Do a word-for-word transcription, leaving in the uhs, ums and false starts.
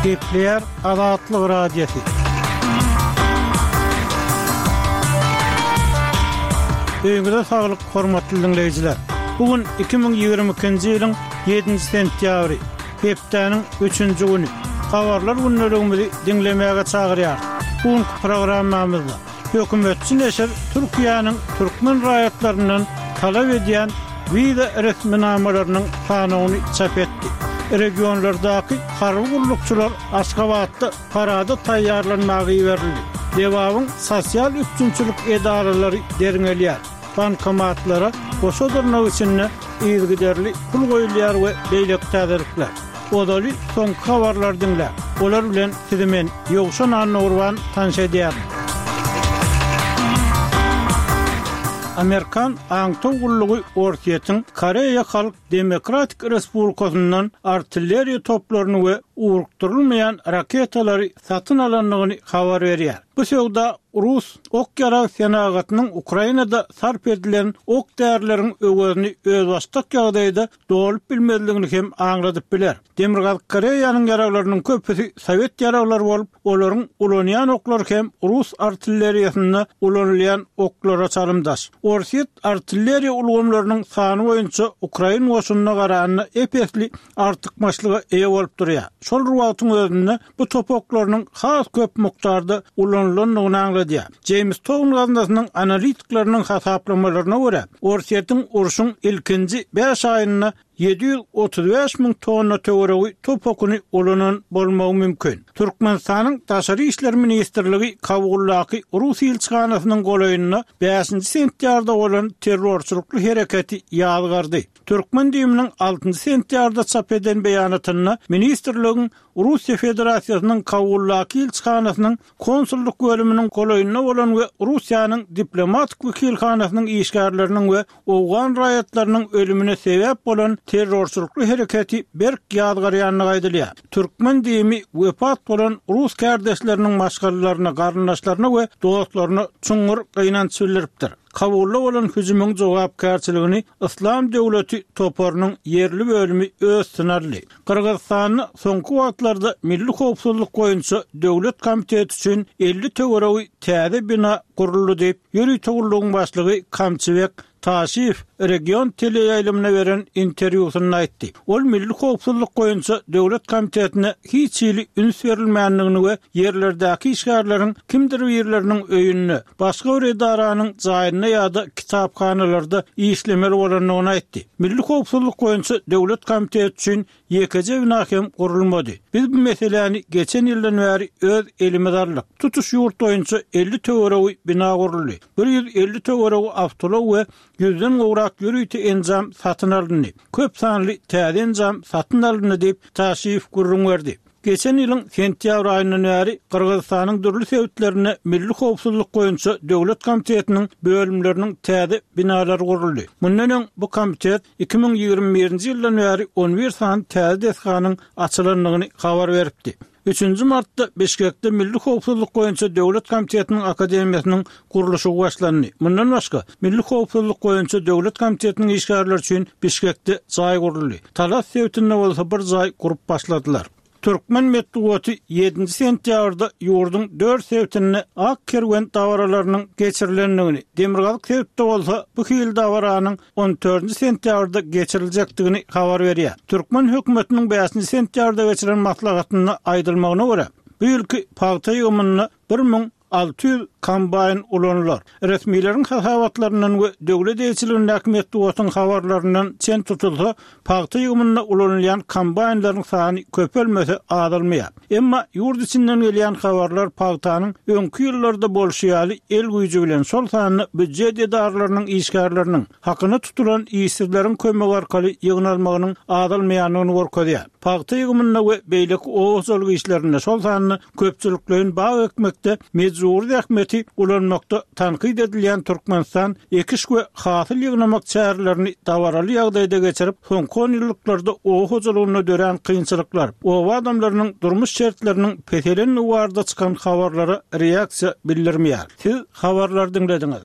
Gepleýär Azatlyk Radiosy. Öýüňize saglyk, hormatly diňleýjiler. Bu gün iki müň ýigrimi ikinji ýylyň ýedinji sentýabry, hepdäniň üçünji güni. Habarlar gündeligimizi diňlemäge çagyrýarys. Bu günki programmamyzda hökümetçi neşir Türkiýäniň türkmen raýatlaryndan talap edýän wiza resminamalarynyň sanawyny çap etdi. Regionlardaky harby gullukçylar Aşgabatda parada taýýarlanmaga iberildi. Lebabyň sosial üpjünçilik edaralary derňelýär. Bankomatlara goşa dyrnak içinde yzygiderli pul goýulýar we beýleki täzelikler. Ozaly soňky habarlary diňläň. Olar bilen sizi men, Ýowşan Annagurban tanyş edýärin. Amerikan aňtaw gullugy Orsýetiň Koreýa Halk Demokratik Respublikasyndan artilleriýa toplaryny we ugrukdyrylmaýan raketalary satyn alandygyny habar berýär. Bu söwda rus ok-ýarag senagatynyň Ukrainada sarp edilen ok-därileriň öwezini özbaşdak ýagdaýda dolup bilmezligini hem aňladyp biler. Demirgazyk Koreýanyň ýaraglarynyň köpüsi sowet ýaraglary bolup, olaryň ulanýan oklary hem rus artilleriýasynda ulanylýan oklara çalymdaş. Orsýet artilleriýa ulgamlarynyň sany boýunça ukrain goşunyna garanda ep-esli artykmaçlyga eýe bolup durýar. Şol bir wagtyň özünde bu top oklarynyň has köp mukdarda ulanylandygyny aňladýar. Jeýms Town gaznasynyň analitikleriniň hasaplamalaryna görä, Orsýetiň urşuň ilkinji bäş aýynda ýedi ýüz otuz bäş müň tonna töweregi top okuny ulanan bolmagy mümkin. Türkmenistanyň Daşary işler ministrligi Kabuldaky rus ilçihanasynyň golaýynda bäşinji sentýabrda bolan terrorçylykly hereketi ýazgardy. Türkmen düýmüniň altynjy sentýabrda çap eden beýanatynda ministrligiň Russiýa Federasiýasynyň Kabuldaky ilçihanasynyň konsullyk bölüminiň golaýynda bolan we Russiýanyň diplomatik wekilhanasynyň işgärleriniň we owgan raýatlarynyň ölümine sebäp bolan terrorçylykly hereketi berk ýazgarýandygy aýdylýar. Türkmen düými wepat bolan rus kärdeşleriniň maşgalalaryna, garyndaşlaryna we dostlaryna çuňňur gynanç bildiripdir. Kabulda bolan hüjümiň jogapkärçiligini Yslam döwleti toparynyň ýerli bölümi öz üstüne aldy. Gyrgyzystanda soňky wagtlarda Milli howpsuzlyk boýunça döwlet komiteti üçin elli töweregi täze bina guruldy diýip, ýörite gullugyň başlygy Kamçybek Taşiýew region teleýaýlymyna beren interwýusynda aýtdy. Ol Milli howpsuzlyk boýunça döwlet komitetine hiç hili üns berilmändigini we ýerlerdäki işgärleriň kimdir birleriniň öýünde, başga bir edaranyň jaýynda ýa-da kitaphanalarda işlemeli bolandygyny aýtdy. Milli howpsuzlyk boýunça döwlet komiteti üçin ýekeje bina hem gurulmady. Biz bu meseläni geçen ýyldan bäri öz elimize aldyk. Tutuş ýurt boýunça elli töweregi bina guruldy. Bir ýüz elli töweregi awtoulag we ýüzden gowrak ýörite enjam satyn alyndy. Köp sanly täze enjam satyn alyndy diýip, Taşiýew gürrüň berdi. Geçen ýylyň sentýabr aýyndan bäri Gyrgyzystanyň dürli sebitlerinde Milli howpsuzlyk boýunça döwlet komitetiniň bölümleriniň täze binalary guruldy. Mundan öň bu komitet iki müň ýigrimi birinji ýyldan bäri on bir sany täze desganyň açylandygyny habar beripdi. Üçünji martda Bişkekde Milli howpsuzlyk boýunça döwlet komitetiniň akademiýasynyň gurluşygy başlandy. Mundan başga, Milli howpsuzlyk boýunça döwlet komitetiniň işgärleri üçin Bişkekde jaý guruldy. Talas sebitinde bolsa bir jaý gurup başladylar. Türkmen metbugaty ýedinji sentýabrda ýurduň dört sebitinde Ak kerwen dabaralarynyň geçirilendigini, demirgazyk sebitde bolsa bu hili dabaranyň on dördünji sentýabrda geçiriljekdigini habar berýär. Türkmen hökümetiniň bäşinji sentýabrda geçiren maslahatynda aýdylmagyna görä, bu ýylky pagta ýygymynda bir müň alty ýüz kombaýn ulanylar. Resmileriň hasabatlaryndan we döwlet eýeçiligindäki metbugatyň habarlaryndan çen tutulsa, pagta ýygymynda ulanylýan kombaýnlaryň sany köpelmese azalmaýar. Emma ýurt içinden gelýän habarlar pagtanyň öňki ýyllarda bolşy ýaly el güýji bilen, şol sanda býujet edaralarynyň işgärleriniň hakyna tutulan işsizleriň kömegi arkaly ýygnalmagynyň azalmaýandygyny görkezýär. Pagta ýygymynda we beýleki oba hojalyk işlerinde, şol sanda köpçülikleýin bag ekmekde mejbury zähmeti ulanmakda tankyt edilýän Türkmenistan ekiş we hasyl ýygnamak çärelerini dabaraly ýagdaýda geçirip, soňky on ýyllyklarda oba hojalygynda dörän kynçylyklar, oba adamlarynyň durmuş şertleriniň peselendigi barada çykan habarlara reaksiýa bildirmeýär. Siz habarlary diňlediňiz.